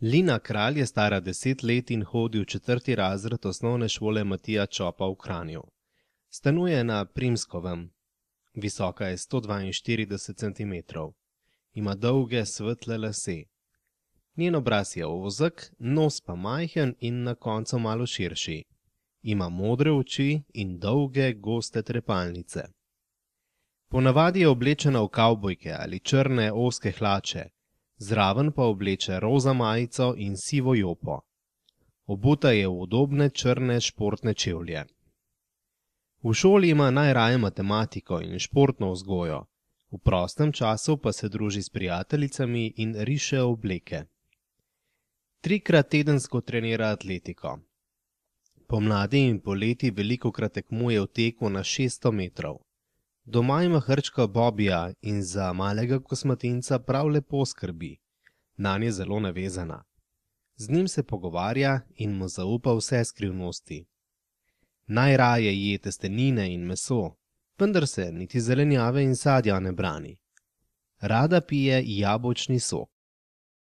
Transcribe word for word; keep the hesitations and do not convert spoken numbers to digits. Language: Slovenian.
Lina Kralj je stara deset let in hodi v četrti razred osnovne šole Matija Čopa v Kranju. Stanuje na Primskovem. Visoka je sto dvainštirideset centimetrov. Ima dolge, svetle lase. Njen obraz je ozek, nos pa majhen in na koncu malo širši. Ima modre oči in dolge, goste trepalnice. Ponavadi je oblečena v kavbojke ali črne ozke hlače, zraven pa obleče roza majico in sivo jopo. Obuta je v udobne črne športne čevlje. V šoli ima najraje matematiko in športno vzgojo, v prostem času pa se druži s prijateljicami in riše obleke. Trikrat tedensko trenira atletiko. Pomladi in poleti velikokrat tekmuje v teku na šeststo metrov. Doma ima hrčka Bobija in za malega kosmatinca prav lepo skrbi. Nanj je zelo navezana. Z njim se pogovarja in mu zaupa vse skrivnosti. Najraje je testenine in meso, vendar se niti zelenjave in sadja ne brani. Rada pije jabolčni sok.